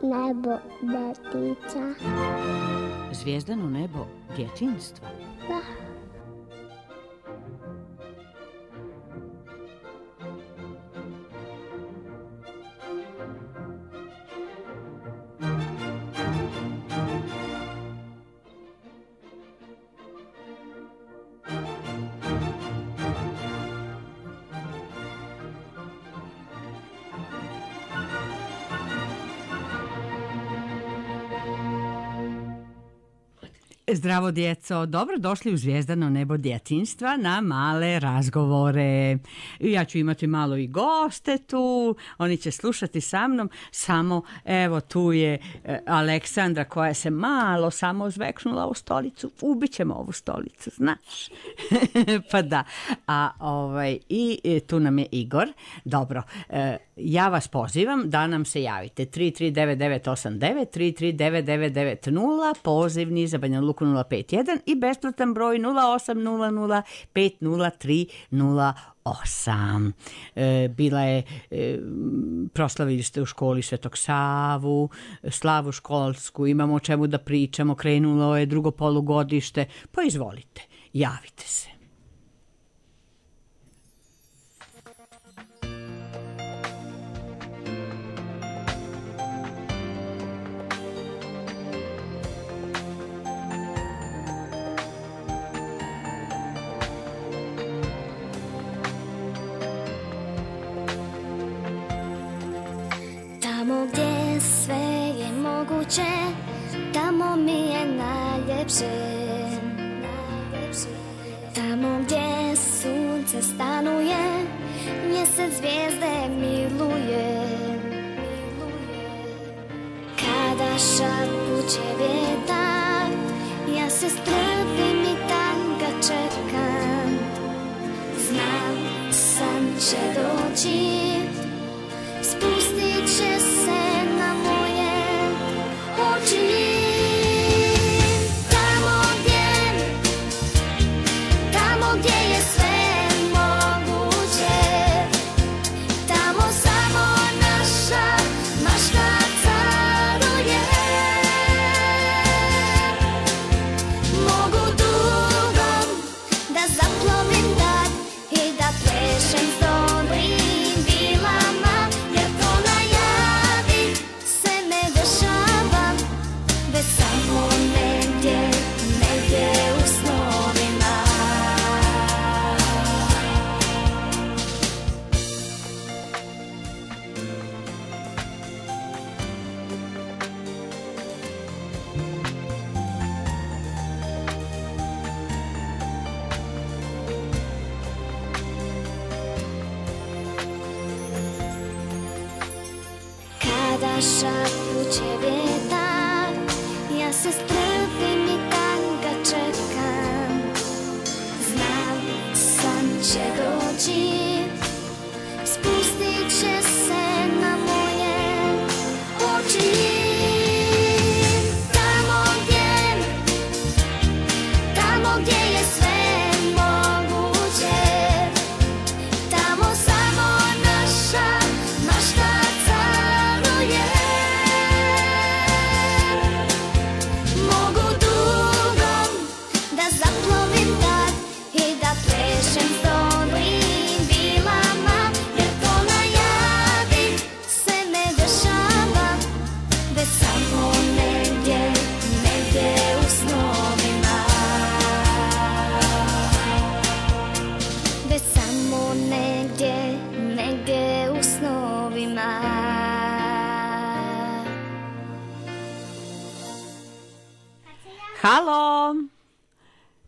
nebo detica. Zvijezdano nebo djetinjstva? Da. Zdravo djeco, dobro došli u Zvijezdano nebo djetinjstva na male razgovore. Ja ću imati malo i goste tu, oni će slušati sa mnom, samo evo tu je Aleksandra koja se malo samo zveknula u stolicu, ubićemo ovu stolicu, znaš. Pa da, i tu nam je Igor. Dobro, ja vas pozivam da nam se javite 33989, 3399990, pozivni za Banja Luku 051 i besplatan broj 0800503008. Bila je, proslavili ste u školi Svetog Savu, slavu školsku, imamo o čemu da pričamo, krenulo je drugo polugodište, pa izvolite, javite se. Tamo gdje sve je moguće, tamo mi je najljepše. Tamo gdje sunce stanuje, mjesec zvijezde miluje. Kada šapuće vjetar, ja se strpim i tanga čekam. Znam, san će doći, spustit će se na moje oči. Tamo gdje je sve moguće, tamo samo naša mašta caruje. Mogu dugom da zaplovim dan i da plešem s dobrim vilama, jer to najavi se ne dešava, već samo negdje u snovima. Kada šapuće vjetar, ja se strpim i tanga čekam. Znam, san će doći, spustit će se na moje oči. Tamo gdje je sve moguće, tamo samo naša mašta caruje. Mogu dugom da zaplovim tad i da plešem s dobrim vilama, jer to najavi se ne dešava, već samo negdje u snovima. Već samo negdje u snovima. Halo!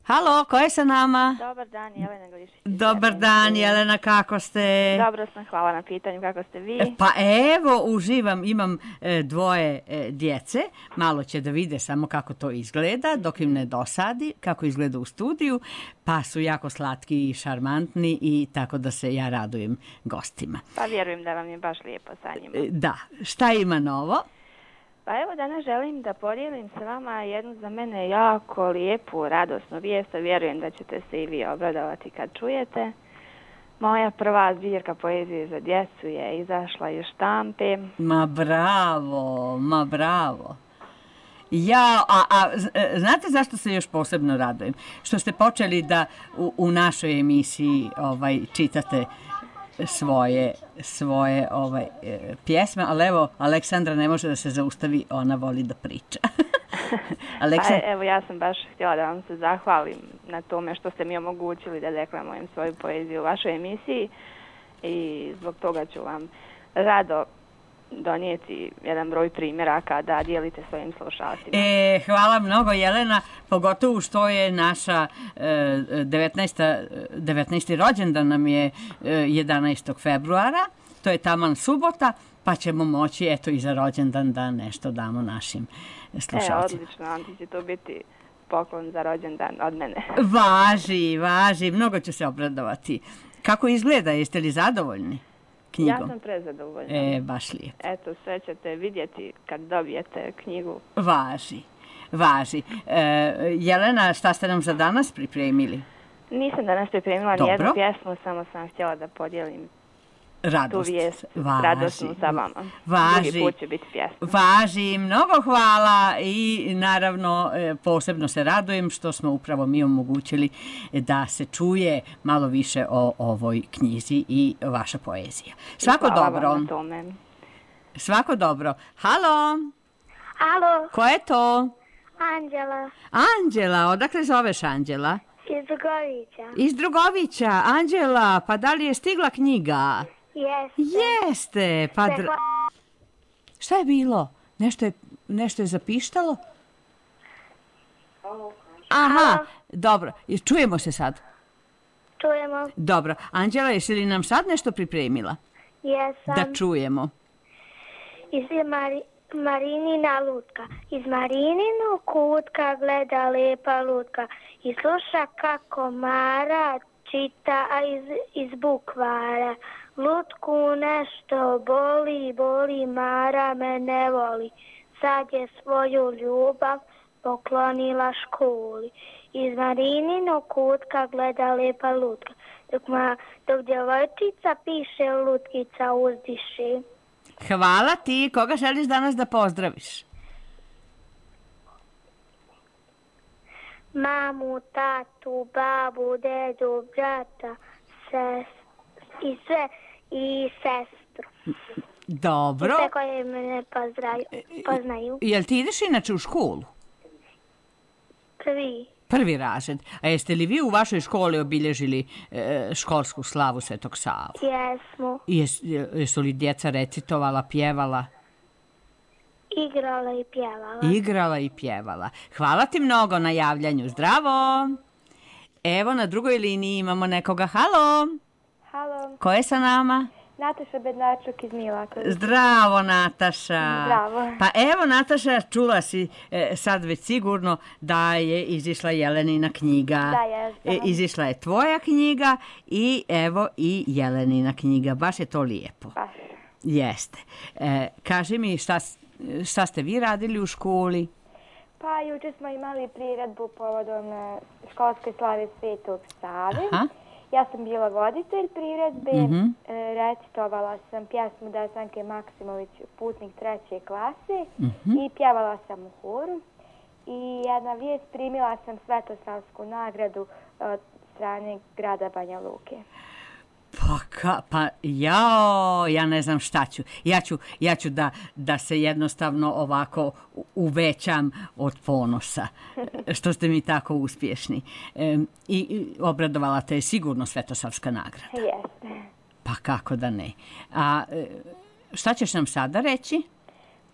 Halo, ko je sa nama? Dobar dan, Jelena Glišić. Dobar dan, Jelena, kako ste? Dobro sam, hvala na pitanju, kako ste vi? Pa evo, uživam, imam dvoje djece, malo će da vide samo kako to izgleda, dok im ne dosadi, kako izgleda u studiju, pa su jako slatki i šarmantni i tako da se ja radujem gostima. Pa vjerujem da vam je baš lijepo sa njima. Da, šta ima novo? Pa evo danas želim da podijelim sa vama jednu za mene jako lijepu, radosnu vijest, a vjerujem da ćete se i vi obradovati kad čujete. Moja prva zbirka poezije za djecu je izašla iz štampe. Ma bravo, ma bravo. Znate zašto se još posebno radujem? Što ste počeli da u našoj emisiji čitate svoje pjesme, ali evo, Aleksandra ne može da se zaustavi, ona voli da priča. Evo, ja sam baš htjela da vam se zahvalim na tome što ste mi omogućili da deklamujem svoju poeziju u vašoj emisiji i zbog toga ću vam rado donijeti jedan broj primjeraka da dijelite svojim slušalcima. Hvala mnogo, Jelena, pogotovo što je naša 19. rođendan nam je 11. februara, to je taman subota, pa ćemo moći eto i za rođendan da nešto damo našim slušalcima. Odlično, onda će to biti poklon za rođendan od mene. Važi, mnogo ću se obradovati. Kako izgleda, jeste li zadovoljni knjigom? Ja sam prezadovoljna. Baš lijepo. Eto, sve ćete vidjeti kad dobijete knjigu. Važi. Jelena, šta ste nam za danas pripremili? Nisam danas pripremila ni jednu pjesmu, samo sam htjela da podijelim tu vijest radosnu sa vama. Drugi put će biti pjesma. Važi, mnogo hvala i naravno posebno se radujem što smo upravo mi omogućili da se čuje malo više o ovoj knjizi i vaša poezija. Svako dobro. Hvala vam na tome. Svako dobro. Halo? Alo, Ko je to? Anđela Anđela, odakle zoveš Anđela? iz Drugovića. Iz Drugovića. Anđela, pa da li je stigla knjiga? Jeste. Pa šta je bilo? Nešto je zapištalo? Aha, dobro. Čujemo se sad? Čujemo. Dobro. Anđela, jesi li nam sad nešto pripremila? Jesam. Da čujemo. Iz Marinina lutka. Iz Marininog kutka gleda lepa lutka i sluša kako Mara čita iz bukvara. Lutku nešto boli, Mara me ne voli. Sad je svoju ljubav poklonila školi. Iz Marininog kutka gleda lepa lutka. Dok djevojčica piše, lutkica uzdiše. Hvala ti. Koga želiš danas da pozdraviš? Mamu, tatu, babu, dedu, brata, i sestru. Dobro. I sve koje me poznaju. Jel ti ideš inače u školu? Prvi razred. A jeste li vi u vašoj školi obilježili školsku slavu Svetog Savu? Jesmo. Jesu li djeca recitovala, pjevala? Igrala i pjevala. Hvala ti mnogo na javljanju. Zdravo! Evo, na drugoj liniji imamo nekoga. Halo! Halo. Ko je sa nama? Nataša Bednarčuk iz Milakovića. Zdravo, Nataša. Zdravo. Pa evo, Nataša, čula si sad već sigurno da je izišla Jelenina knjiga. Da, jesam. Izišla je tvoja knjiga i evo i Jelenina knjiga. Baš je to lijepo. Baš. Jeste. Kaži mi šta ste vi radili u školi? Pa jučer smo imali priredbu povodom školske slave Svetog Save. Aha. Ja sam bila voditelj priredbe, recitovala sam pjesmu Desanke Maksimović, Putnik 3. klase i pjevala sam u horu. I jedna vijest, primila sam Svetosavsku nagradu od strane grada Banja Luke. Ja ne znam šta ću. Ja ću da se jednostavno ovako uvećam od ponosa, što ste mi tako uspješni. I obradovala te je sigurno Svetosavska nagrada. Jeste. Pa kako da ne. A šta ćeš nam sada reći?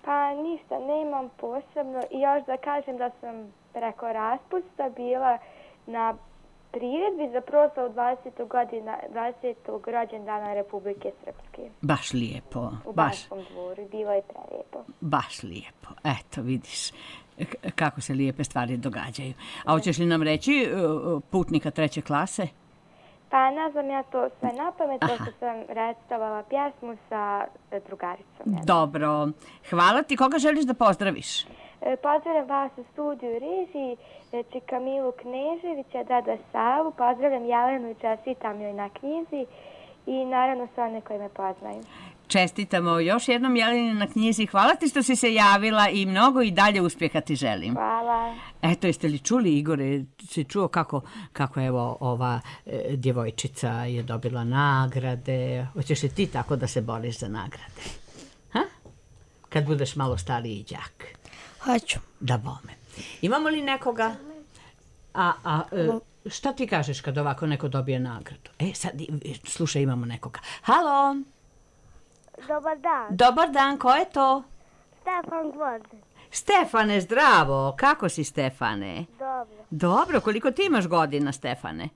Pa ništa, nemam posebno. I još da kažem da sam preko raspusta bila na priredbi za proslavu 20. rođendana Republike Srpske. Baš lijepo. U Banskom dvoru. Bilo je prelijepo. Baš lijepo. Eto, vidiš kako se lijepe stvari događaju. A hoćeš li nam reći Putnika 3. klase? Pa ne znam ja to sve na pamet, pošto sam recitovala pjesmu sa drugaricom. Dobro. Hvala ti. Koga želiš da pozdraviš? Pozdravljam vas u studiju režiji, Čika Milu Kneževića, Dada Savu, pozdravljam Jelenu i čestitam joj na knjizi i naravno sve one koji me poznaju. Čestitamo još jednom Jeleni na knjizi. Hvala ti što si se javila i mnogo i dalje uspjeha ti želim. Hvala. Eto, jeste li čuli, Igore, si čuo kako evo ova djevojčica je dobila nagrade? Hoćeš li ti tako da se boriš za nagrade? Ha? Kad budeš malo stariji đak. Hoću. Da bome. Imamo li nekoga? Šta ti kažeš kad ovako neko dobije nagradu? Sad, slušaj, imamo nekoga. Halo? Dobar dan. Dobar dan, ko je to? Stefan Gvozden. Stefane, zdravo. Kako si, Stefane? Dobro. Dobro, koliko ti imaš godina, Stefane?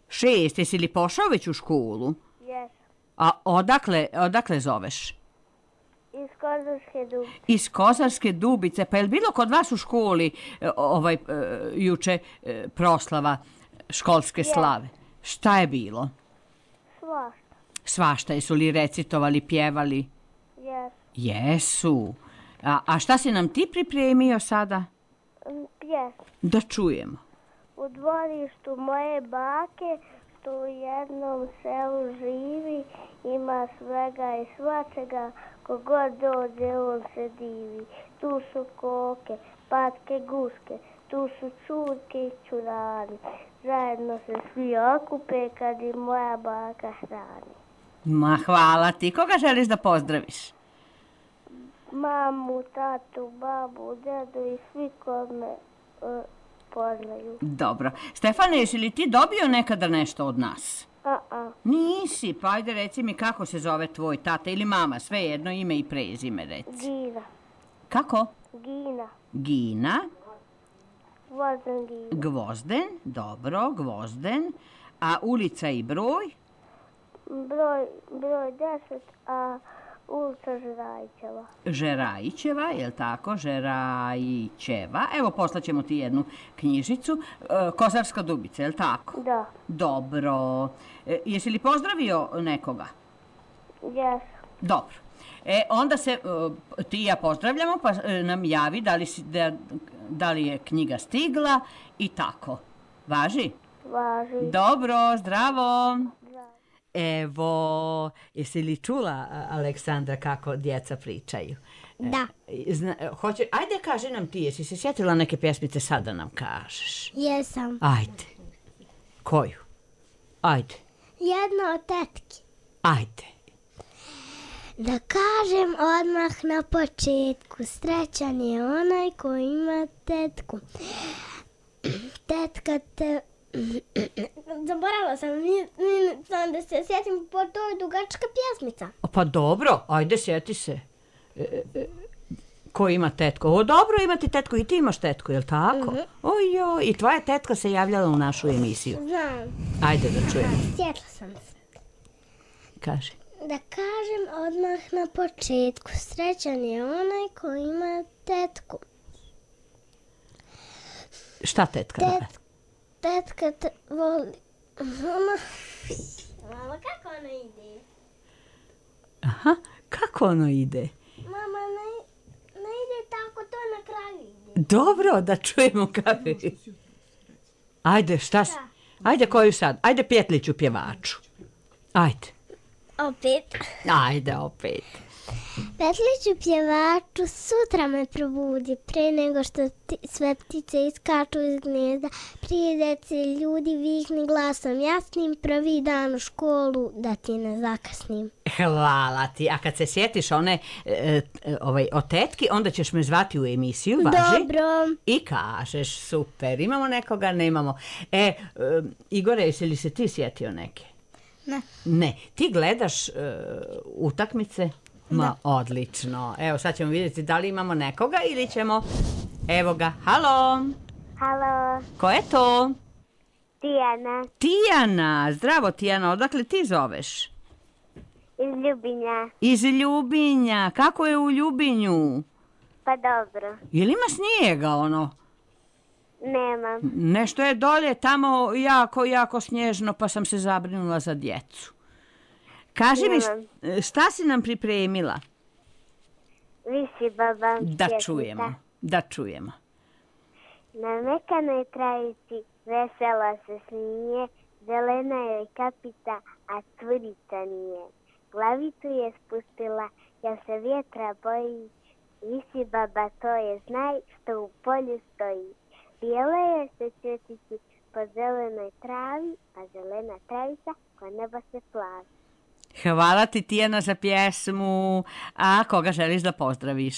6. 6, jesi li pošao već u školu? Jesam. A odakle zoveš? Iz Kozarske Dubice. Iz Kozarske Dubice. Pa je li bilo kod vas u školi juče proslava školske slave? Šta je bilo? Svašta. Svašta, jesu li recitovali, pjevali? Jesu. Jesu. A šta si nam ti pripremio sada? Pjesma. Da čujemo. U dvorištu moje bake, što u jednom selu živi, ima svega i svačega, kogod dođe on se divi. Tu su koke, patke, guske, tu su čurke i čurani. Zajedno se svi okupe kad i moja baka hrani. Ma hvala ti. Koga želiš da pozdraviš? Mamu, tatu, babu, dedu i svi ko me poznaju. Dobro. Stefane, jesi li ti dobio nekada nešto od nas? Nisi, pa ajde reci mi kako se zove tvoj tata ili mama, svejedno ime i prezime reci. Gina. Kako? Gina. Gina. Gvozden Gina. Gvozden, dobro, Gvozden. A ulica i broj? Broj 10, a ulica Žerajićeva. Žerajićeva, je li tako? Žerajićeva. Evo, poslaćemo ti jednu knjižicu. Kozarska Dubica, je li tako? Da. Dobro. Jesi li pozdravio nekoga? Jesam. Dobro. Onda se ti i ja pozdravljamo, pa nam javi da li je knjiga stigla i tako. Važi? Važi. Dobro, zdravo. Evo, jesi li čula, Aleksandra, kako djeca pričaju? Da. Ajde, kaži nam ti, jesi se sjetila neke pjesmice, sad da nam kažeš? Jesam. Ajde. Koju? Ajde. Jedna od tetki. Ajde. Da kažem odmah na početku, srećan je onaj ko ima tetku. Tetka te... Zaboravila sam da se sjetim, po to je dugačka pjesmica. Pa dobro, ajde, sjeti se. Ko ima tetku? O, dobro, imati tetku, i ti imaš tetku, je li tako? Ojoj, i tvoja tetka se javljala u našu emisiju. Znam. Ajde da čujem. Sjetila sam se. Kaži. Da kažem odmah na početku, srećan je onaj ko ima tetku. Šta tetka radi? Tetka te voli. Mama, kako ono ide? Aha, kako ono ide? Mama, ne ide tako, to na kraju ide. Dobro, da čujemo kako ide. Ajde, šta si? Ajde, koju sad? Ajde, Pjetliću pjevaču. Ajde. Opet. Ajde, opet. Petliću pjevaču, sutra me probudi, pre nego što sve ptice iskaču iz gnezda, prije dece ljudi vikni glasom jasnim, prvi dan u školu da ti ne zakasnim. Hvala ti, a kad se sjetiš one o tetki, onda ćeš me zvati u emisiju, važi? Dobro. I kažeš, super, imamo nekoga, nemamo. Igore, jesi li se ti sjetio neke? Ne. Ne, ti gledaš utakmice? Ma, odlično. Evo, sad ćemo vidjeti da li imamo nekoga ili ćemo... Evo ga. Halo. Halo. Ko je to? Tijana. Tijana. Zdravo, Tijana. Odakle ti zoveš? Iz Ljubinja. Iz Ljubinja. Kako je u Ljubinju? Pa dobro. Jel ima snijega, ono? Nemam. Nešto je dolje tamo jako snježno, pa sam se zabrinula za djecu. Kaži mi, šta si nam pripremila? Visi baba. Da čujemo. Da čujemo. Na mekanoj travici vesela se smije, zelena joj kapica, a curica nije. Glavicu je spustila, jer se vjetra boji, visi baba, to je znaj što u polju stoji. Bijele je se cvjetići po zelenoj travi, a zelena travica ko nebo se plavi. Hvala ti, Tijana, za pjesmu. A koga želiš da pozdraviš?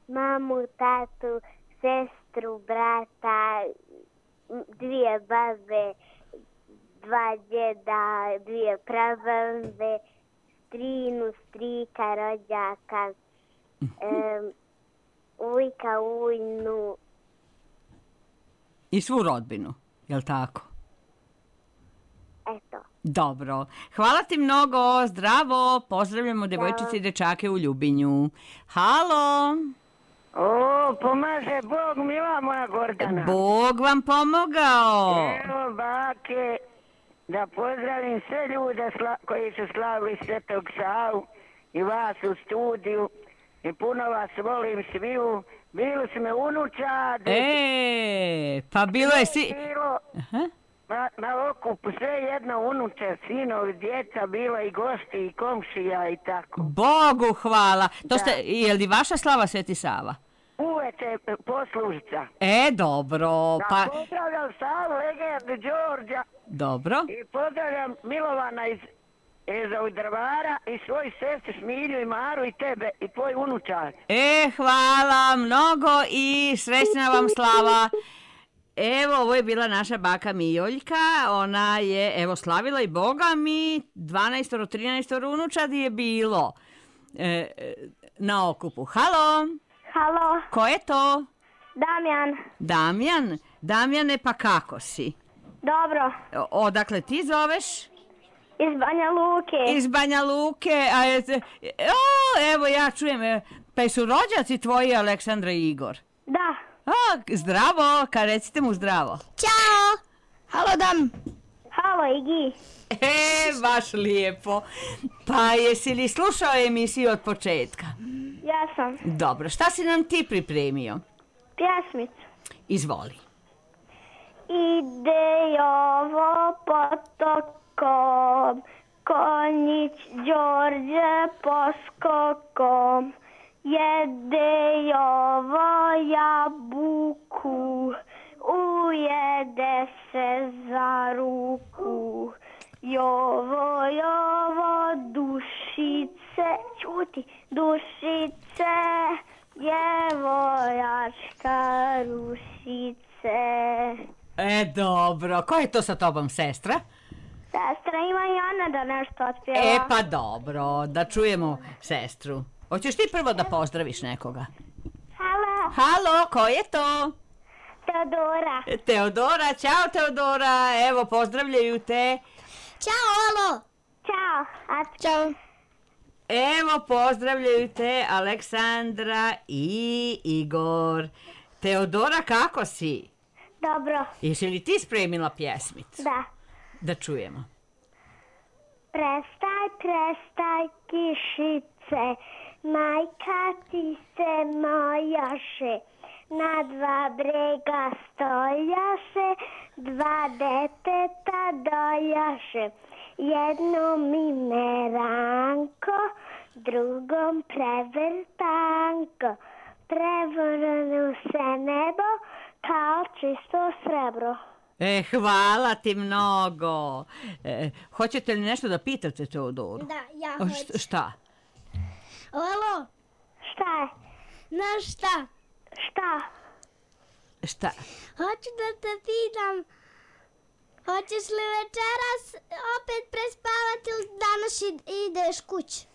Mamu, tatu, sestru, brata, 2 babe, 2 djeda, 2 prababe, strinu, strika, rođaka, ujka, ujnu. I svu rodbinu, jel tako? Eto. Dobro. Hvala ti mnogo. Zdravo. Pozdravljamo devojčice i dečake u Ljubinju. Halo. O, pomaže Bog, mila moja Gordana. Bog vam pomogao. Evo, bake, da pozdravim sve ljude koji su slavili Svetog Savu i vas u studiju. I puno vas volim sviju. Bili su me unučadi. Pa bilo je si... Na okupu sve jedno unuče, sinovi, djeca, bila i gosti i komšija i tako. Bogu hvala. To ste, je li vaša slava Sveti Sava? Uveče poslužica. Dobro. Pa pozdravljam Savu, legendu Đorđa. Dobro. I pozdravljam Milovana iz Drvara i svoju sestru Smilju i Maru i tebe i tvoj unučar. Hvala mnogo i srećna vam slava. Evo, ovo je bila naša baka Mijoljka, ona je, evo, slavila i Boga mi, 12-13 unučadi je bilo na okupu. Halo? Halo? Ko je to? Damjan. Damjan? Damjane, pa kako si? Dobro. Odakle ti zoveš? Iz Banja Luke. Iz Banja Luke, evo ja čujem, pa su rođaci tvoji Aleksandra i Igor? Da. Zdravo, recite mu zdravo. Ćao! Halo, Dam! Halo, Igi! Baš lijepo. Pa jesi li slušao emisiju od početka? Ja sam. Dobro, šta si nam ti pripremio? Pjesmicu. Izvoli. Ide Jovo potokom, konjić Đorđe poskokom. Jede Jovo jabuku, ujede se za ruku. Jovo, Jovo, dušice, čuti, dušice, djevojačka rušice. Dobro, ko je to sa tobom, sestra? Sestra ima i ona da nešto otpjeva. Pa dobro, da čujemo sestru. Hoćeš ti prvo da pozdraviš nekoga? Halo. Halo, ko je to? Teodora. Teodora, ćao Teodora, evo pozdravljaju te. Ćao, alo. Ćao. Ćao. Evo pozdravljaju te Aleksandra i Igor. Teodora, kako si? Dobro. Jesi li ti spremila pjesmicu? Da. Da čujemo. Prestaj, prestaj, kišice, majka ti se mojaše, na 2 brega stojaše, 2 deteta dojaše, jednom ime Ranko, drugom prevrtanko, prevrnu se nebo kao čisto srebro. Hvala ti mnogo. Hoćete li nešto da pitate Teodoru? Da, ja hoću. Šta? Alo? Šta je? Znaš šta? Šta? Šta? Hoću da te pitam, hoćeš li večeras opet prespavati ili danas ideš kući?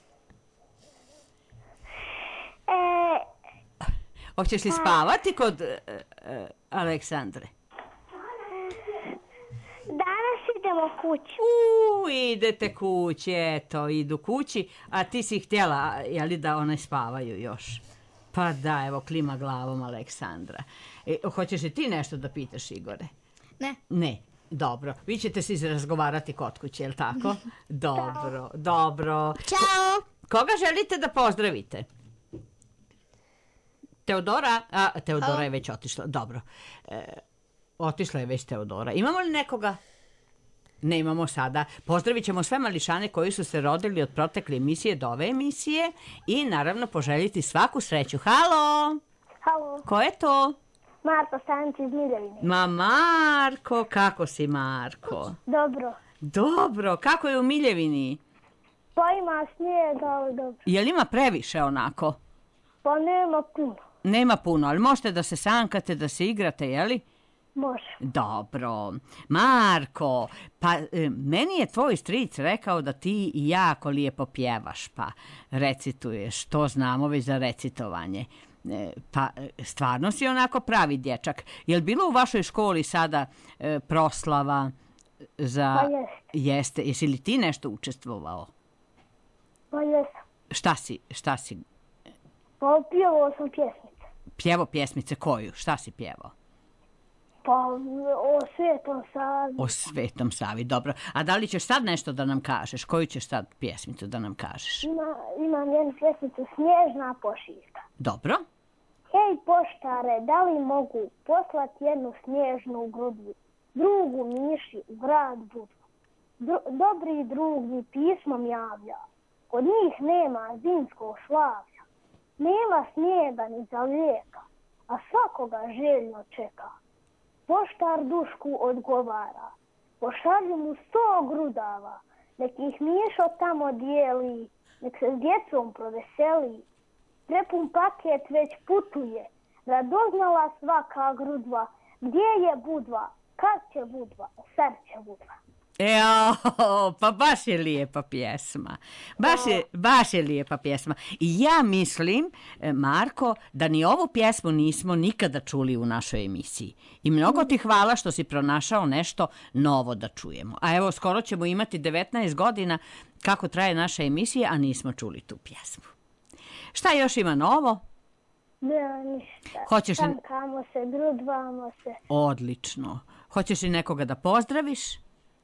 Hoćeš li spavati kod Aleksandre? Danas idemo kući. Idete kući, eto, idu kući, a ti si htjela, jeli, da one spavaju još? Pa da, evo, klima glavom Aleksandra. Hoćeš li ti nešto da pitaš, Igore? Ne. Ne, dobro. Vi ćete se izrazgovarati kod kuće, je li tako? Dobro, dobro. Ćao. Koga želite da pozdravite? Teodora? Teodora je već otišla. Dobro. Otišla je već Teodora. Imamo li nekoga? Ne imamo sada. Pozdravit ćemo sve mališane koji su se rodili od protekle emisije do ove emisije i naravno poželjiti svaku sreću. Halo! Halo, Ko je to? Marko Stanić iz Miljevine. Ma Marko, kako si Marko? Dobro. Dobro, kako je u Miljevini? Pa ima snijega, ali dobro. Jel ima previše onako? Pa nema puno. Nema puno, ali možete da se sankate, da se igrate, jeli? Može. Dobro. Marko, pa meni je tvoj stric rekao da ti jako lijepo pjevaš, pa recituješ, to znamo već za recitovanje. Pa stvarno si onako pravi dječak. Jel bilo u vašoj školi sada proslava za... Pa jeste. Jeste. Jesi li ti nešto učestvovao? Pa jesam. Šta si? Pa pjevao sam pjesmice. Pjevo pjesmice koju? Šta si pjevao? Pa o Svetom Savi. O Svetom Savi, dobro. A da li ćeš sad nešto da nam kažeš? Koju ćeš sad pjesmicu da nam kažeš? Imam jednu pjesmicu, Snježna pošiljka. Dobro. Hej poštare, da li mogu poslati jednu snježnu grudvu, drugu miši u grad Budvu? Dobri drug mi pismom javlja, kod njih nema zimskog slavlja. Nema snijega ni za lijeka, a svakoga željno čeka. Poštar Dušku odgovara, pošalju mu 100 grudava, nek ih Mišo tamo dijeli, nek se s djecom proveseli. Prepun paket već putuje, radoznala svaka grudva, gdje je Budva, kad će Budva, sad će Budva. Pa baš je lijepa pjesma. Baš je lijepa pjesma. I ja mislim, Marko, da ni ovu pjesmu nismo nikada čuli u našoj emisiji. I mnogo ti hvala što si pronašao nešto novo da čujemo. A evo, skoro ćemo imati 19 godina kako traje naša emisija, a nismo čuli tu pjesmu. Šta još ima novo? Nema ništa. Tankamo se, grudvamo se. Odlično. Hoćeš li nekoga da pozdraviš?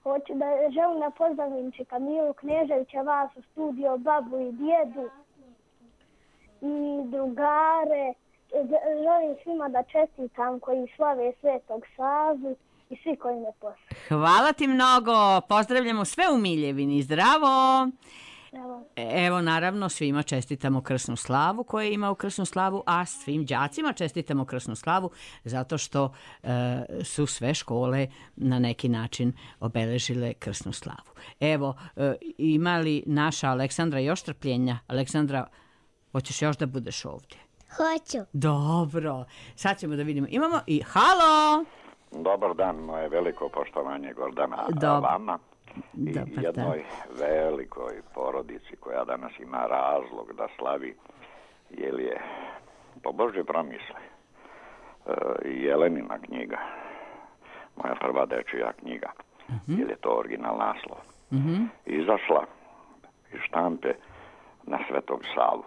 Hoću da želim da pozdravim Čika Milu Kneževića, vas u studio, babu i djedu i drugare. Želim svima da čestitam koji slave Svetog Savu i svi koji me poznaju. Hvala ti mnogo. Pozdravljamo sve u Miljevini. Zdravo! Evo, naravno, svima čestitamo krsnu slavu koja ima u krsnu slavu, a svim đacima čestitamo krsnu slavu zato što su sve škole na neki način obeležile krsnu slavu. Evo, ima li naša Aleksandra još trpljenja? Aleksandra, hoćeš još da budeš ovdje? Hoću. Dobro, sad ćemo da vidimo. Imamo i halo! Dobar dan, moje veliko poštovanje Gordana vama. I jednoj velikoj porodici koja danas ima razlog da slavi, jer je po Božje promisli Jelenina knjiga, moja prva dečija knjiga, jer je to original naslov, izašla iz štampe na Svetog Savu.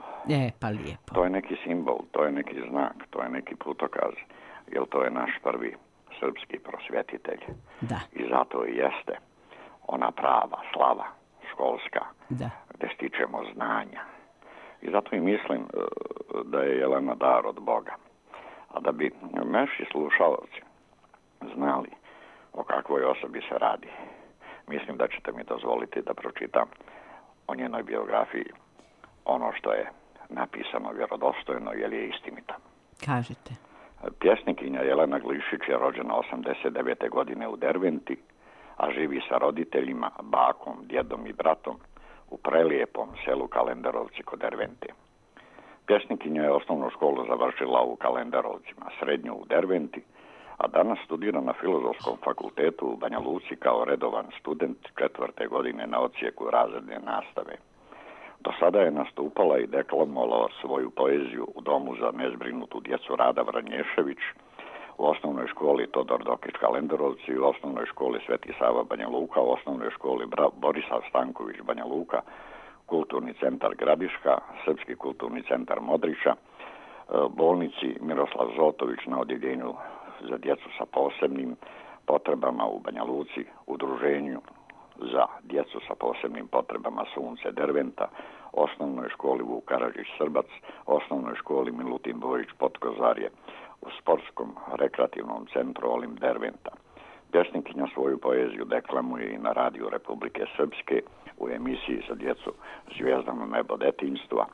Pa lijepo. To je neki simbol, to je neki znak, to je neki putokaz, jer to je naš prvi srpski prosvjetitelj. Da. I zato i jeste ona prava slava školska, gdje stičemo znanja. I zato i mislim da je Jelena dar od Boga. A da bi naši slušalci znali o kakvoj osobi se radi, mislim da ćete mi dozvoliti da pročitam o njenoj biografiji ono što je napisano vjerodostojno, jer je istinito. Kažete. Pjesnikinja Jelena Glišić je rođena 89. godine u Derventi, a živi sa roditeljima, bakom, djedom i bratom u prelijepom selu Kalenderovci kod Dervente. Pjesnikinja je osnovnu školu završila u Kalenderovcima, srednju u Derventi, a danas studira na Filozofskom fakultetu u Banja Luci kao redovan student 4. godine na odsjeku razredne nastave. Do sada je nastupala i deklamovala svoju poeziju u Domu za nezbrinutu djecu Rada Vranješević, u osnovnoj školi Todor Dokić Kalenderovci, u osnovnoj školi Sveti Sava Banja Luka, u osnovnoj školi Borisav Stanković Banja Luka, Kulturni centar Gradiška, Srpski kulturni centar Modrića, bolnici Miroslav Zotović na odjeljenju za djecu sa posebnim potrebama u Banja Luci, udruženju za djecu sa posebnim potrebama Sunce Derventa, osnovnoj školi Vuk Karadžić Srbac, osnovnoj školi Milutin Bojić Potkozarje, u sportskom rekreativnom centru Olim Derventa. Pjesnikinja svoju poeziju deklamuje i na radiju Republike Srpske u emisiji za djecu Zvijezdano nebo detinjstva,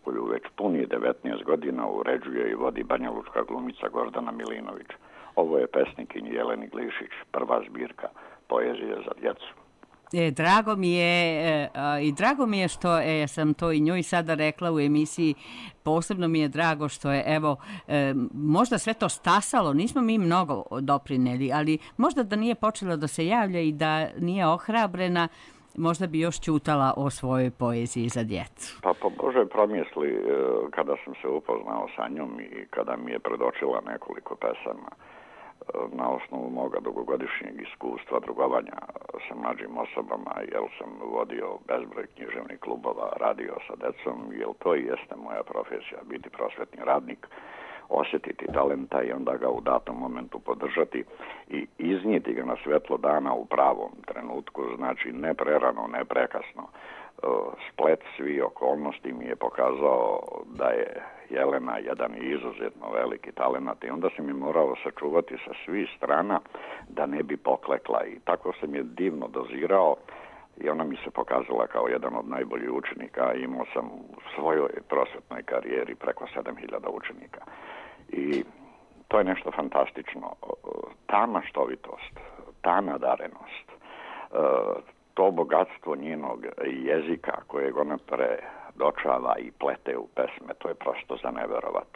koju već puni 19 godina uređuje i vodi banjalučka glumica Gordana Milinović. Ovo je pesnikinji Jeleni Glišić, prva zbirka poezije za djecu. Drago mi je što sam to i njoj sada rekla u emisiji. Posebno mi je drago što je, evo, možda sve to stasalo, nismo mi mnogo doprineli, ali možda da nije počela da se javlja i da nije ohrabrena, možda bi još ćutala o svojoj poeziji za djecu. Pa po Božoj promisli, kada sam se upoznao sa njom i kada mi je predočila nekoliko pesama, na osnovu moga dugogodišnjeg iskustva drugovanja sa mlađim osobama, jer sam vodio bezbroj književnih klubova, radio sa decom, jer to i jeste moja profesija, biti prosvetni radnik, osjetiti talenta i onda ga u datom momentu podržati i iznijeti ga na svjetlo dana u pravom trenutku, znači ne prerano, ne prekasno. Splet svih okolnosti mi je pokazao da je Jelena jedan izuzetno veliki talenat i onda sam je morao sačuvati sa svih strana da ne bi poklekla i tako sam je divno dozirao i ona mi se pokazala kao jedan od najboljih učenika. Imao sam u svojoj prosvetnoj karijeri preko 7000 učenika i to je nešto fantastično. Ta maštovitost, ta nadarenost, to bogatstvo njenog jezika kojeg ona predočava i plete u pesme, to je prosto za neverovat.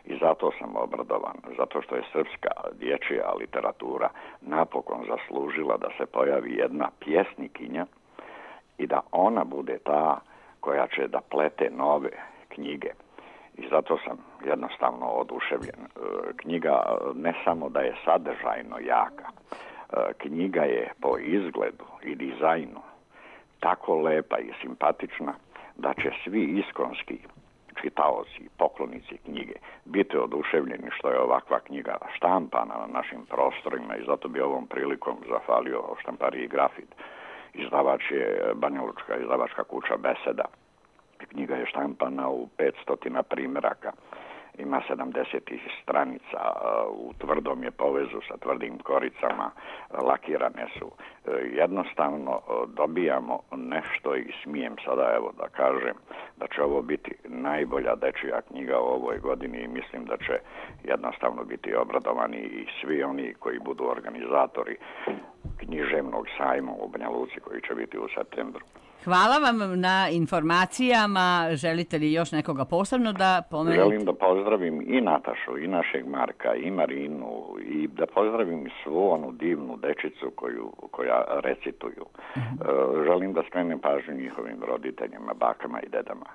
I zato sam obradovan, zato što je srpska dječja literatura napokon zaslužila da se pojavi jedna pjesnikinja i da ona bude ta koja će da plete nove knjige. I zato sam jednostavno oduševljen. Knjiga ne samo da je sadržajno jaka, knjiga je po izgledu i dizajnu tako lepa i simpatična da će svi iskonski čitaoci, poklonici knjige biti oduševljeni što je ovakva knjiga štampana na našim prostorima i zato bi ovom prilikom zahvalio štampariji Grafit. Izdavač je banjalučka izdavačka kuća Beseda. Knjiga je štampana u 500 primjeraka. Ima 70 stranica, u tvrdom je povezu sa tvrdim koricama, lakirane su. Jednostavno dobijamo nešto i smijem sada evo da kažem da će ovo biti najbolja dečija knjiga u ovoj godini i mislim da će jednostavno biti obradovani i svi oni koji budu organizatori književnog sajma u Banja Luci koji će biti u septembru. Hvala vam na informacijama. Želite li još nekoga posebno da pomenete? Želim da pozdravim i Natašu, i našeg Marka, i Marinu, i da pozdravim svu onu divnu dečicu koja recituju. Želim da skrenem pažnju njihovim roditeljima, bakama i dedama.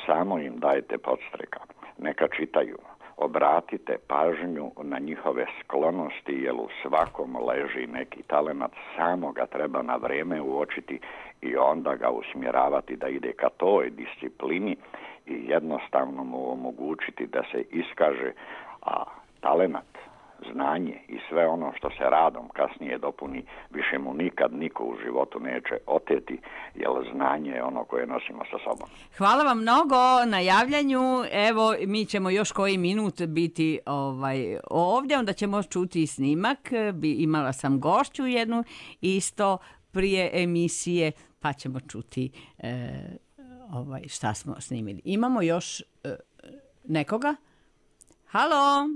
Samo im dajte podstreka, neka čitaju. Obratite pažnju na njihove sklonosti, jer u svakom leži neki talenat, samo ga treba na vrijeme uočiti i onda ga usmjeravati da ide ka toj disciplini i jednostavno mu omogućiti da se iskaže, a talenat, znanje i sve ono što se radom kasnije dopuni, više mu nikad niko u životu neće oteti, jer znanje je ono koje nosimo sa sobom. Hvala vam mnogo na javljanju. Evo, mi ćemo još koji minut biti ovdje, onda ćemo čuti snimak. Imala sam gošću jednu isto prije emisije, pa ćemo čuti šta smo snimili. Imamo još nekoga? Halo?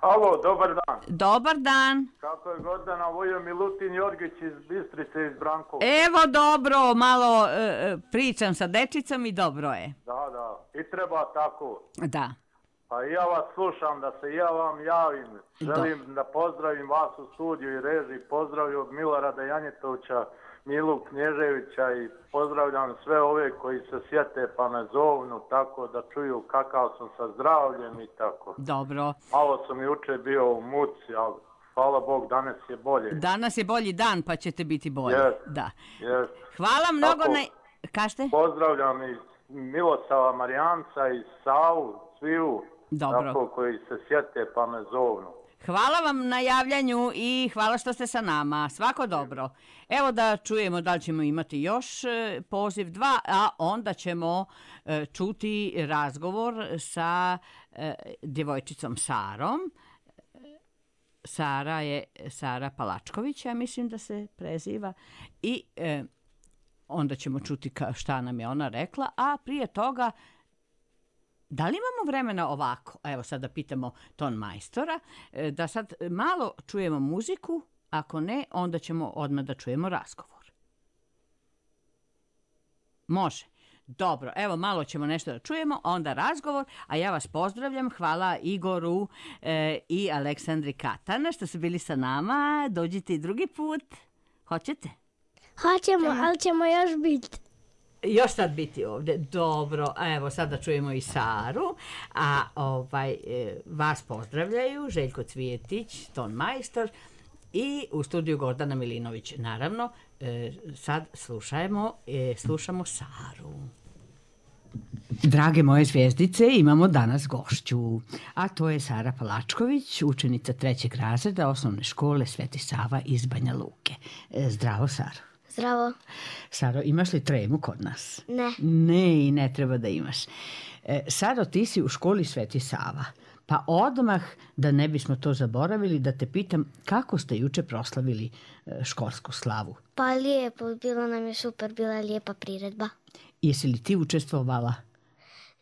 Halo, dobar dan. Dobar dan. Kako je Gordana, ovo je Milutin Jorgić iz Bistrice, iz Brankova. Evo dobro, malo pričam sa dečicom i dobro je. Da, i treba tako. Da. Pa ja vas slušam, da se ja vam javim. Želim da pozdravim vas u studiju i režiji. Pozdravim od Milorada Janjetovića, Milu Knježevića i pozdravljam sve ove koji se sjete pa me zovnu tako da čuju kakav sam sa zdravljem i tako. Dobro. Malo sam juče bio u muci, ali hvala Bog, danas je bolje. Danas je bolji dan pa ćete biti bolji. Yes. Da. Yes. Hvala mnogo tako, na... Kažete? Pozdravljam i Milosava Marijanca i Savu, sviju. Dobro. Tako koji se sjete pa me zovnu. Hvala vam na javljanju i hvala što ste sa nama. Svako dobro. Evo da čujemo da li ćemo imati još poziv 2, a onda ćemo čuti razgovor sa djevojčicom Sarom. Sara je Sara Palačković, ja mislim da se preziva. I onda ćemo čuti šta nam je ona rekla, a prije toga da li imamo vremena ovako, evo sad da pitamo ton majstora, da sad malo čujemo muziku, ako ne, onda ćemo odmah da čujemo razgovor. Može. Dobro, evo malo ćemo nešto da čujemo, onda razgovor, a ja vas pozdravljam, hvala Igoru i Aleksandri Katana što su bili sa nama, dođite i drugi put, hoćete? Hoćemo, ali ćemo još biti. Još sad biti ovdje, dobro, evo sad da čujemo i Saru, a vas pozdravljaju Željko Cvijetić, ton majstor i u studiju Gordana Milinović, naravno, sad slušamo Saru. Drage moje zvijezdice, imamo danas gošću, a to je Sara Palačković, učenica 3. razreda osnovne škole Sveti Sava iz Banja Luke. Zdravo, Saro. Zdravo. Saro, imaš li tremu kod nas? Ne. Ne, i ne treba da imaš. Saro, ti si u školi Sveti Sava, pa odmah, da ne bismo to zaboravili, da te pitam kako ste juče proslavili školsku slavu? Pa lijepo, bilo nam je super, bila je lijepa priredba. Jesi li ti učestvovala?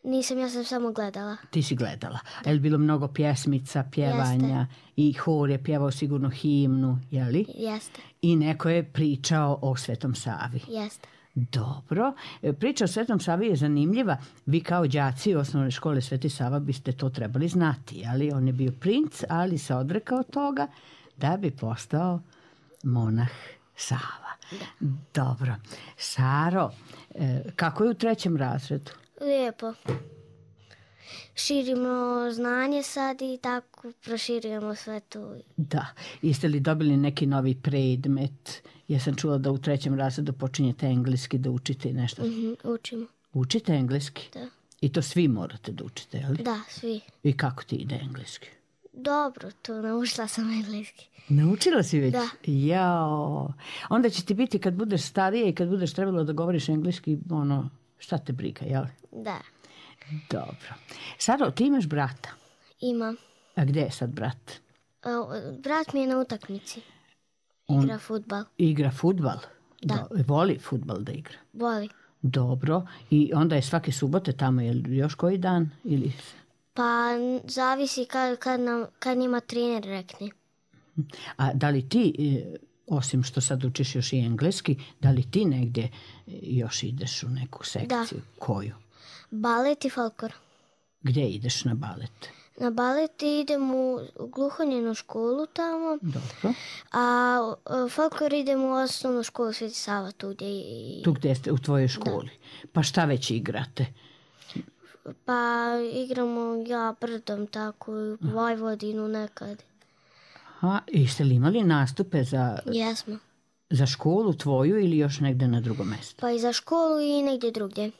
Nisam, ja sam samo gledala. Ti si gledala. Je li bilo mnogo pjesmica, pjevanja? Jeste. I hor je pjevao sigurno himnu, je li? Jeste. I neko je pričao o Svetom Savi. Jeste. Dobro. Priča o Svetom Savi je zanimljiva. Vi kao đaci osnovne škole Sveti Sava biste to trebali znati, ali on je bio princ, ali se odrekao toga da bi postao monah Sava. Da. Dobro. Saro, kako je u 3. razredu? Lijepo. Širimo znanje sad i tako proširujemo sve to. Da. Jeste li dobili neki novi predmet? Ja sam čula da u 3. razredu počinjete engleski, da učite nešto. Učimo. Učite engleski? Da. I to svi morate da učite, je li? Da, svi. I kako ti ide engleski? Dobro, to naučila sam engleski. Naučila si već? Da. Jao. Onda će ti biti kad budeš starija i kad budeš trebalo da govoriš engleski, šta te briga, jel? Da. Dobro. Saro, ti imaš brata? Imam. A gdje je sad brat? Brat mi je na utakmici. Igra fudbal. Igra fudbal? Da. Voli fudbal da igra? Voli. Dobro. I onda je svake subote tamo, je li još koji dan? Ili... Pa zavisi kad njima trener rekne. A da li ti, osim što sad učiš još i engleski, da li ti negdje još ideš u neku sekciju? Da. Koju? Balet i folklor. Gdje ideš na balet? Na balet idem u gluhonjenu školu tamo. Dobro. A folklor idem u osnovnu školu Sveti Sava tu gdje Tu gdje ste u tvojoj školi. Da. Pa šta već igrate? Pa igramo ja brdom tako u Vojvodinu nekad. Aha, jeste li imali nastupe Jesmo. Za školu tvoju ili još negdje na drugom mjestu? Pa i za školu i negdje drugdje.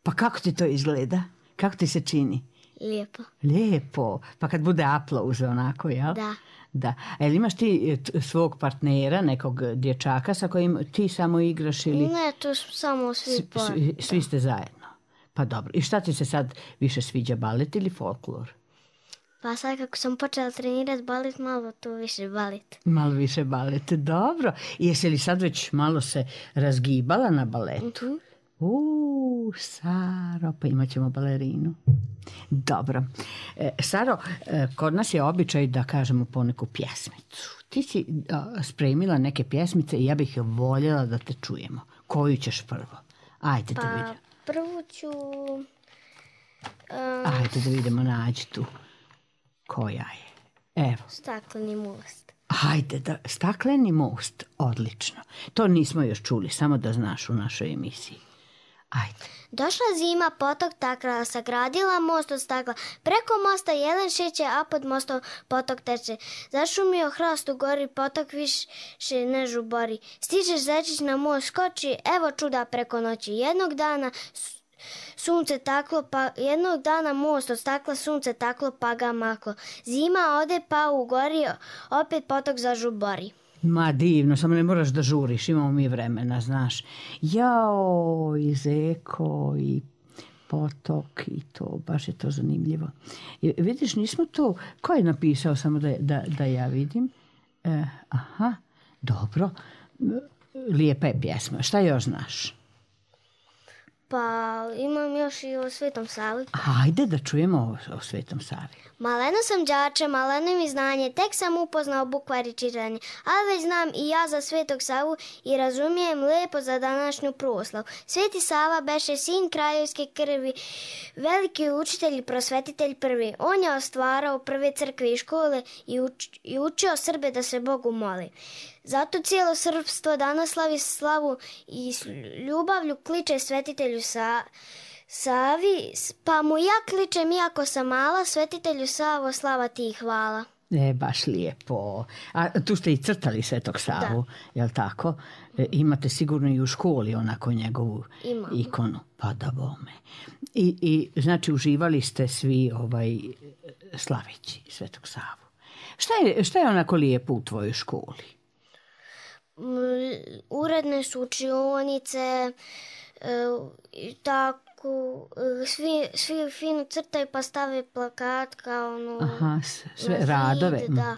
Pa kako ti to izgleda? Kako ti se čini? Lijepo. Lijepo. Pa kad bude aplauz onako, jel? Da. Da. A jel imaš ti svog partnera, nekog dječaka sa kojim ti samo igraš ili... Ne, to samo svi Svi ste zajedno. Pa dobro. I šta ti se sad više sviđa, balet ili folklor? Pa sad kako sam počela trenirati balet, malo to više balet. Malo više balet, dobro. I jesi li sad već malo se razgibala na baletu? Saro, pa imat ćemo balerinu. Dobro. Saro, kod nas je običaj da kažemo poneku pjesmicu. Ti si spremila neke pjesmice i ja bih voljela da te čujemo. Koju ćeš prvo? Ajde da vidimo. Prvu ću... Ajde da vidimo, nađi tu. Koja je? Evo. Stakleni most. Ajde, Stakleni most, odlično. To nismo još čuli, samo da znaš u našoj emisiji. Ajde. Došla zima, potok takla, sagradila most od stakla. Preko mosta jelen šeće, a pod mostom potok teče. Zašumio hrast u gori, potok više ne žubori. Stižeš zečić na most, skoči, evo čuda preko noći. Jednog dana sunce taklo, pa jednog dana most od stakla, sunce taklo, pa ga maklo. Zima ode, pa ugori, opet potok zažubori. Ma divno, samo ne moraš da žuriš, imamo mi vremena, znaš. Jao, i zeko, i potok, i to, baš je to zanimljivo. Vidiš, nismo to, ko je napisao, samo da ja vidim? Aha, dobro. Lijepa je pjesma. Šta još znaš? Pa imam još i o Svetom Savi. Ajde da čujemo o Svetom Savi. Maleno sam đače, maleno mi znanje, tek sam upoznao bukvar i čitanje, ali već znam i ja za Svetog Savu i razumijem lepo za današnju proslavu. Sveti Sava beše sin kraljevske krvi, veliki učitelj i prosvetitelj prvi. On je ostvarao prve crkve i škole i učio Srbe da se Bogu moli. Zato cijelo srpstvo danas slavi slavu i s ljubavlju kliče svetitelju Savi, pa mu ja kličem iako sam mala, svetitelju Savo, slava ti i hvala. Baš lijepo. A tu ste i crtali Svetog Savu, jel tako? Imate sigurno i u školi onako njegovu ikonu. Pa da bome. I znači uživali ste svi slaveći Svetog Savu. Šta je onako lijepo u tvojoj školi? Uredne su učionice, tako, svi fino crtaju pa stave plakat kao sve radove. Da.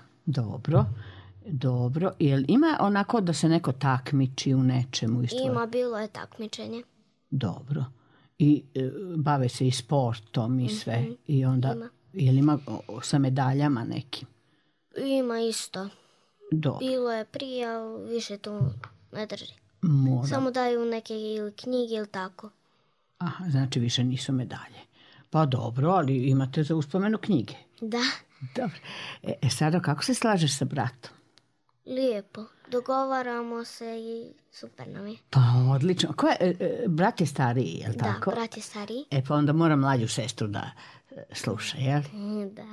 Dobro. Jel ima onako da se neko takmiči u nečemu? Ima, bilo je takmičenje. Dobro. I bave se i sportom i sve. I onda, jel ima sa medaljama nekim? Ima isto. Dobro. Bilo je prije, ali više to ne drži. Mora. Samo daju neke ili knjige ili tako. Aha, znači više nisu medalje. Pa dobro, ali imate za uspomenu knjige. Da. Dobro. Sada kako se slažeš sa bratom? Lijepo. Dogovaramo se i super nam je. Pa odlično. Brat je stariji, je li tako? Da, brat je stariji. Pa onda mora mlađu sestru da sluša, jel? Da.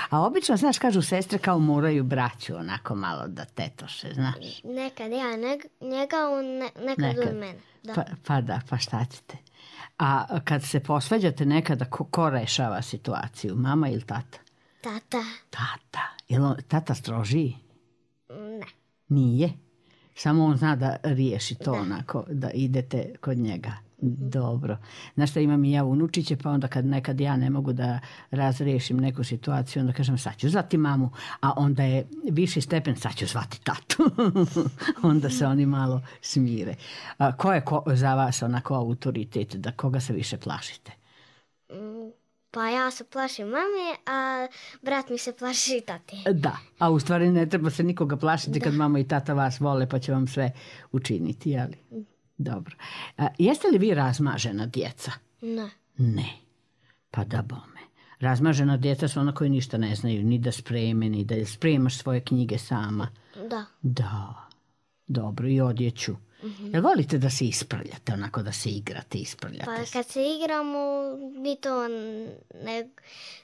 A obično, znaš, kažu sestre kao moraju braću onako malo da tetoše, znaš? Nekad ja, njega, on nekad od mene. Da. Pa šta ćete? A kad se posvađate nekada, ko rešava situaciju? Mama ili tata? Tata. Jel tata strožiji? Ne. Nije? Samo on zna da riješi to onako, da idete kod njega. Dobro. Znaš šta, imam i ja unučiće, pa onda kad nekad ja ne mogu da razriješim neku situaciju, onda kažem sad ću zvati mamu, a onda je viši stepen, sad ću zvati tatu. Onda se oni malo smire. Ko je za vas onako autoritet, da koga se više plašite? Pa ja se plašim mame, a brat mi se plaši tate. Da, a u stvari ne treba se nikoga plašiti kad mama i tata vas vole, pa će vam sve učiniti, jeli? Dobro. Jeste li vi razmažena djeca? Ne. Pa da bome. Razmažena djeca su ona koji ništa ne znaju, ni da spreme, ni da spremaš svoje knjige sama. Da. Dobro, i odjeću. Jel volite da se isprljate, onako da se igrate, isprljate? Pa kad se igramo,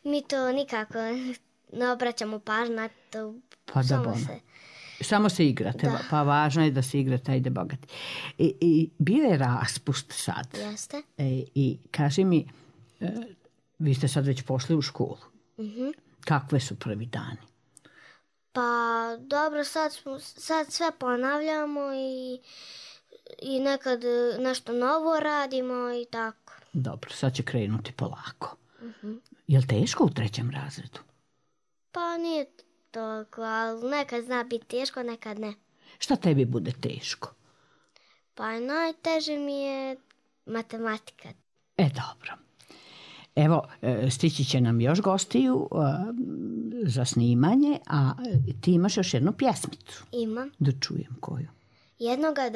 mi to nikako ne obraćamo pažnju na to. Pa da bome. Samo se igrate, pa važno je da se igrate, ajde bogati. I bio je raspust sad. Jeste. I kaži mi, vi ste sad već pošli u školu. Kakve su prvi dani? Pa dobro, sad sve ponavljamo i nekad nešto novo radimo i tako. Dobro, sad će krenuti polako. Jel teško u 3. razredu? Pa nije toliko, ali nekad zna biti teško, nekad ne. Šta tebi bude teško? Pa najteže mi je matematika. Dobro. Evo, stići će nam još gostiju za snimanje, a ti imaš još jednu pjesmicu. Imam. Da čujem koju. Jednoga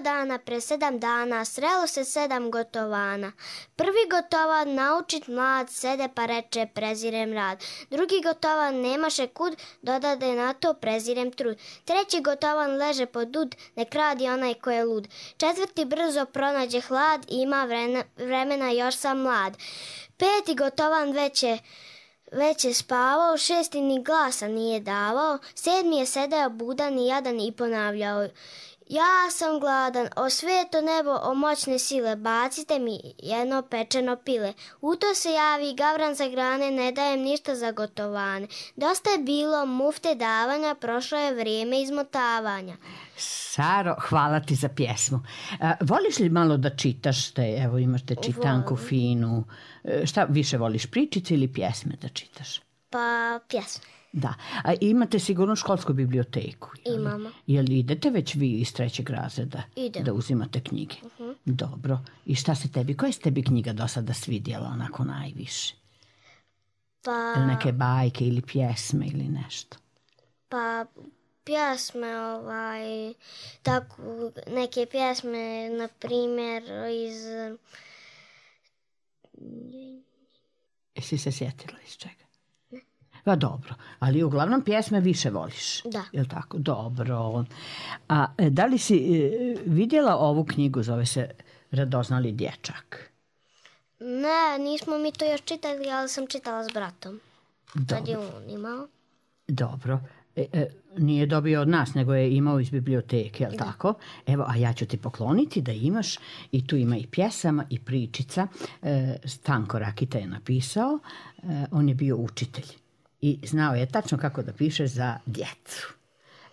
dana, pre 7 dana, srelo se 7 gotovana. Prvi gotovan, naučit mlad, sede pa reče, prezirem rad. Drugi gotovan, nemaše kud, dodade na to, prezirem trud. Treći gotovan, leže pod dud, nek radi onaj ko je lud. Četvrti brzo pronađe hlad, ima vremena, još sam mlad. Peti gotovan, već je spavao, 6. ni glasa nije davao, 7. je sedeo budan i jadan i ponavljao. Ja sam gladan, o sveto nebo, o moćne sile, bacite mi jedno pečeno pile. U to se javi gavran za grane, ne dajem ništa za gotovane. Dosta je bilo mufte davanja, prošlo je vrijeme izmotavanja. Saro, hvala ti za pjesmu. Voliš li malo da čitaš? Evo imaš te čitanku finu. Šta više voliš, pričice ili pjesme da čitaš? Pa pjesme. Da, a imate sigurno školsku biblioteku? Imamo. Jel idete već vi iz 3. razreda? Idem. Da uzimate knjige? Dobro. I šta se tebi, koja se tebi knjiga do sada svidjela onako najviše? Pa... Neke bajke ili pjesme ili nešto? Pa pjesme, tako, neke pjesme, na primjer, iz... Jesi se sjetila iz čega? Pa dobro, ali uglavnom pjesme više voliš. Da. Jel tako? Dobro. A da li si vidjela ovu knjigu, zove se Radoznali dječak? Ne, nismo mi to još čitali, ali sam čitala s bratom. Kad je on imao. Dobro. Nije dobio od nas, nego je imao iz biblioteke, jel tako? Evo, a ja ću ti pokloniti da imaš, i tu ima i pjesama i pričica. Stanko Rakita je napisao, on je bio učitelj i znao je tačno kako da piše za djecu.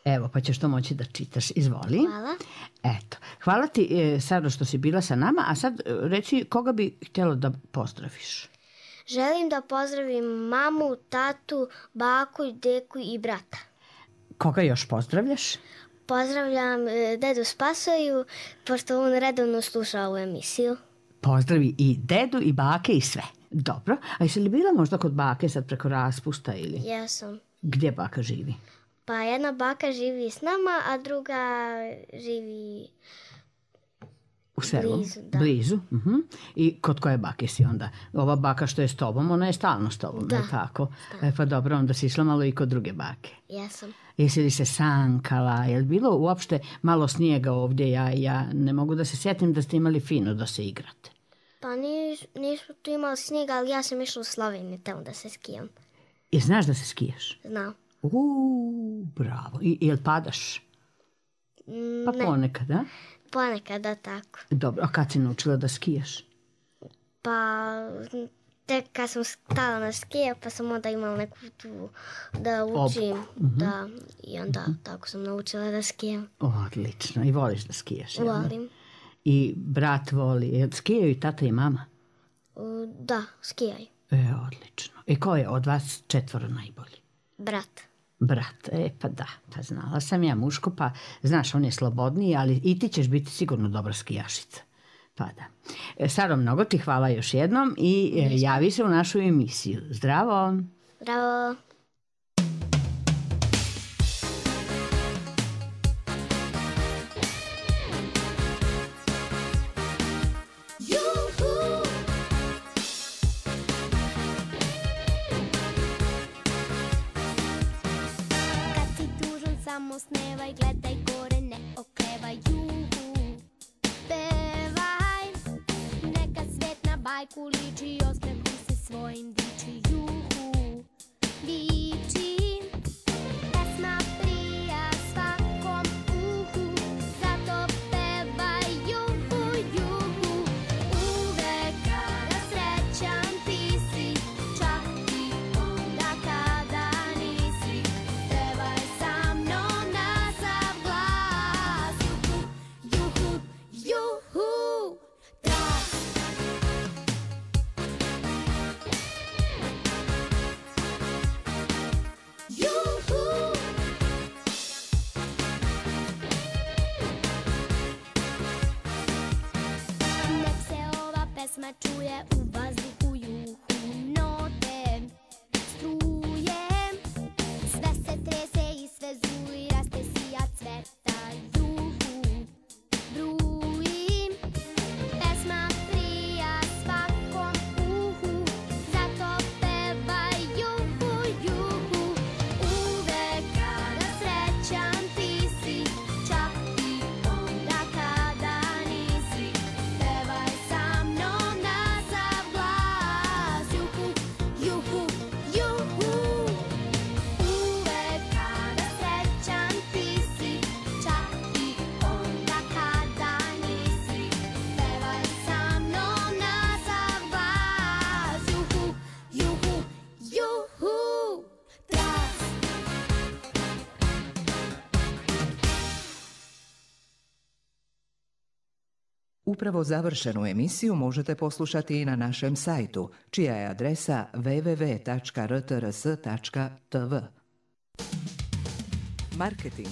Evo, pa ćeš to moći da čitaš. Izvoli. Hvala. Eto. Hvala ti, Saro, što si bila sa nama, a sad reci koga bi htjela da pozdraviš. Želim da pozdravim mamu, tatu, baku, deku i brata. Koga još pozdravljaš? Pozdravljam dedu Spasoju, pošto on redovno sluša ovu emisiju. Pozdravi i dedu i bake i sve. Dobro. A jesi li bila možda kod bake sad preko raspusta ili? Jesam. Gdje baka živi? Pa jedna baka živi s nama, a druga živi u selu? Blizu, da. Blizu? I kod koje bake si onda? Ova baka što je s tobom, ona je stalno s tobom, je tako? Pa dobro, onda si išla malo i kod druge bake. Jesam. Jesi li se sankala? Je li bilo uopšte malo snijega ovdje? Ja ne mogu da se sjetim da ste imali fino da se igrate. Pa nismo tu imali snijega, ali ja sam išla u Sloveniju tamo da se skijam. I znaš da se skijaš? Znam. Bravo. I jel padaš? Pa ne. Ponekad, da? Ponekad, da, tako. Dobro, a kad si naučila da skijaš? Pa tek kad sam stala na skije, pa sam onda imala neku tu da učim. Da, i onda tako sam naučila da skijam. Odlično. I voliš da skijaš? Volim. I brat voli. Skijaju i tata i mama? Da, skijaju. Odlično. I ko je od vas 4 najbolji? Brat. Brat, pa da, pa znala sam ja muško, pa znaš, on je slobodniji, ali i ti ćeš biti sigurno dobra skijašica. Pa da. Saro, mnogo ti hvala još jednom i javi se u našu emisiju. Zdravo! Zdravo! Snevaj, gledaj gore, ne oklevaj, juhu, pevaj. Neka svet na bajku liči, osmehom se svojim diči, juhu, diči. Pesma prija svakom uhu, zato pevaj, juhu, juhu. Uvek kada srećan ti si, čak i onda kada nisi, pevaj sa mnom. Pesma čuje u vazduhu, juhu, note, struje, sve se trese i sve zuli, raste sija cveta, juhu, bruji. Pesma prija svakom uhu, zato pevaj, juhu, juhu. Uvek kada srećan ti si, čak i onda kada nisi, pevaj sa mnom na sav Upravo završenu emisiju možete poslušati i na našem sajtu, čija je adresa www.rtrs.tv. Marketing.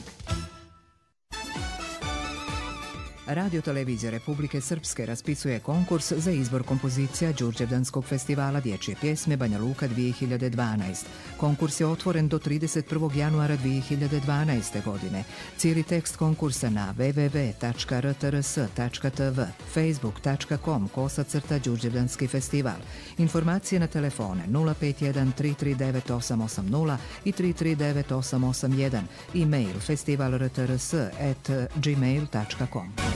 Radio Televizija Republike Srpske raspisuje konkurs za izbor kompozicija Đurđevdanskog festivala dječje pjesme Banja Luka 2012. Konkurs je otvoren do 31. januara 2012. godine. Cijeli tekst konkursa na www.rtrs.tv, facebook.com/Đurđevdanski festival. Informacije na telefone 051 339 880 i 339 881, e-mail festivalrtrs@gmail.com.